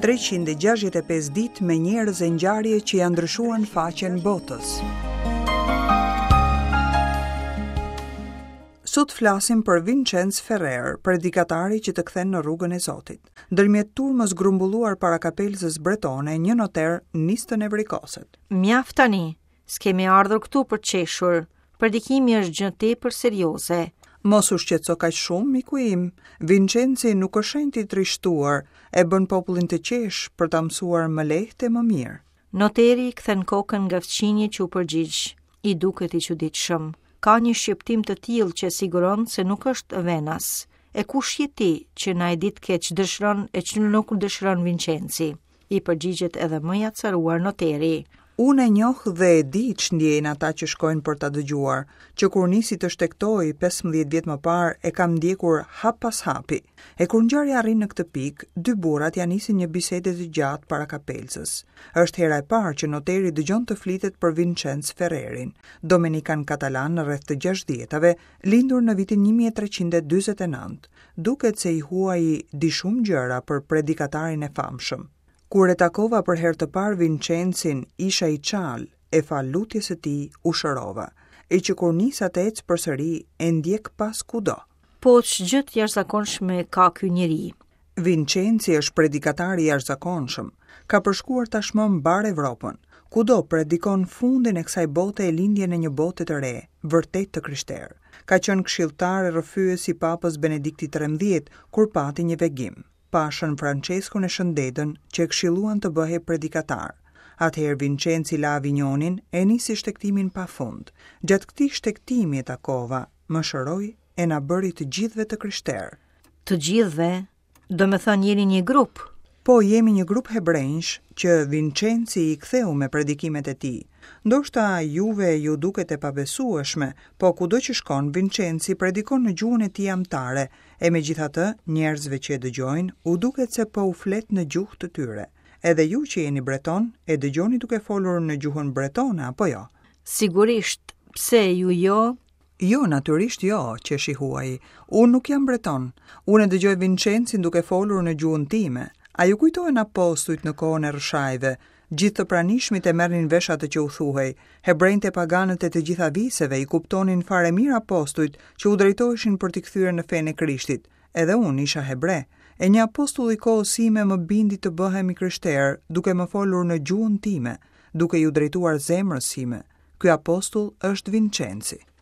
365 ditë me njerëz e ngjarje që ia ndryshuan faqen botës. Sot flasim për Vincenc Ferrer, predikatari që të kthen në rrugën e Zotit. Ndërmjet turmës grumbulluar para kapelëzës bretone, një noter nis të nevrikoset. Mjaft tani, S'kemi ardhur këtu për të qeshur. Predikimi është gjë tepër serioze. Mos u shqetëso kaq shumë, miku im. Vincenci nuk është shenjt i trishtuar, e bën popullin të qeshë për ta mësuar më lehtë e më mirë. Noteri kthen kokën nga fqinji që u përgjigj. I duket i çuditshëm. Ka një shqiptim të tillë që e siguron se nuk është venas. E kush je ti që na e ditke ç'dëshiron e ç'nuk dëshiron Vincenci? I përgjigjet edhe më i acaruar noteri. Unë e njoh dhe e di ç'ndjejnë ata që shkojnë për ta dëgjuar. Që kur nisi të shtegtojë 15 vjet më parë e kam ndjekur hap pas hapi. E kur ngjarja arrin në këtë pikë, dy burrat ia nisin një bisede të gjatë para kapelëzës. Është hera e parë që noteri dëgjon të flitet për Vincenc Ferrerin, domenikan katalan rreth të gjashtëdhjetave, lindur në vitin 1349. Duket se i huaji di shumë gjëra për predikatarin e famshëm. Kur e takova për herë të parë Vincencin, isha i çalë, e falë lutjes së tij u shërova. E që kur nisa të ec përsëri, e ndjek pas kudo. Po ç'gjë të jashtëzakonshme ka ky njeri? Vincenci është predikatar i jashtëzakonshëm. Ka përshkuar tashmë mbarë Evropën. Kudo predikon fundin e kësaj bote e lindjen e një bote të re, vërtet të krishterë. Ka qenë këshilltar e rrëfyes i Papës Benedikti 13 kur pati një vegim. Pa Shën Françeskun e Shën Dedën që e këshilluan të bëhej predikatar. Atëherë Vincenci la Avinjonin e nisi shtegtimin pa fund. Gjatë këtij shtegtimi e takova, më shëroi e na bëri të gjithëve të krishterë. Të gjithëve? Domethënë jeni një grup? Po, jemi një grup hebrenjsh që Vincenci i ktheu me predikimet e tij. Ndoshta juve ju duket e pabesueshme, po kudo që shkon Vincenci predikon në gjuhën e tij amtare, e megjithatë njerëzve që e dëgjojnë u duket se po u flet në gjuhë të tyre. Edhe ju që jeni breton, e dëgjoni duke folur në gjuhën bretone apo jo? Sigurisht, pse ju jo? Jo, natyrisht jo, qesh i huaji. Unë nuk jam breton. Unë e dëgjoj Vincencin duke folur në gjuhën time. A ju kujtohen apostujt në kohën e Rrëshajve? Gjithë të pranishmit e merrnin vesh atë që u thuhej. Hebrenjtë e paganët e të gjitha viseve i kuptonin fare mirë apostujt që u drejtoheshin për t'i kthyer në fenë e Krishtit. Edhe unë isha hebre. E një apostull i kohës sime më bindi të bëhem i krishterë, duke më folur në gjuhën time, duke iu drejtuar zemrës sime. Ky apostull është Vincenci.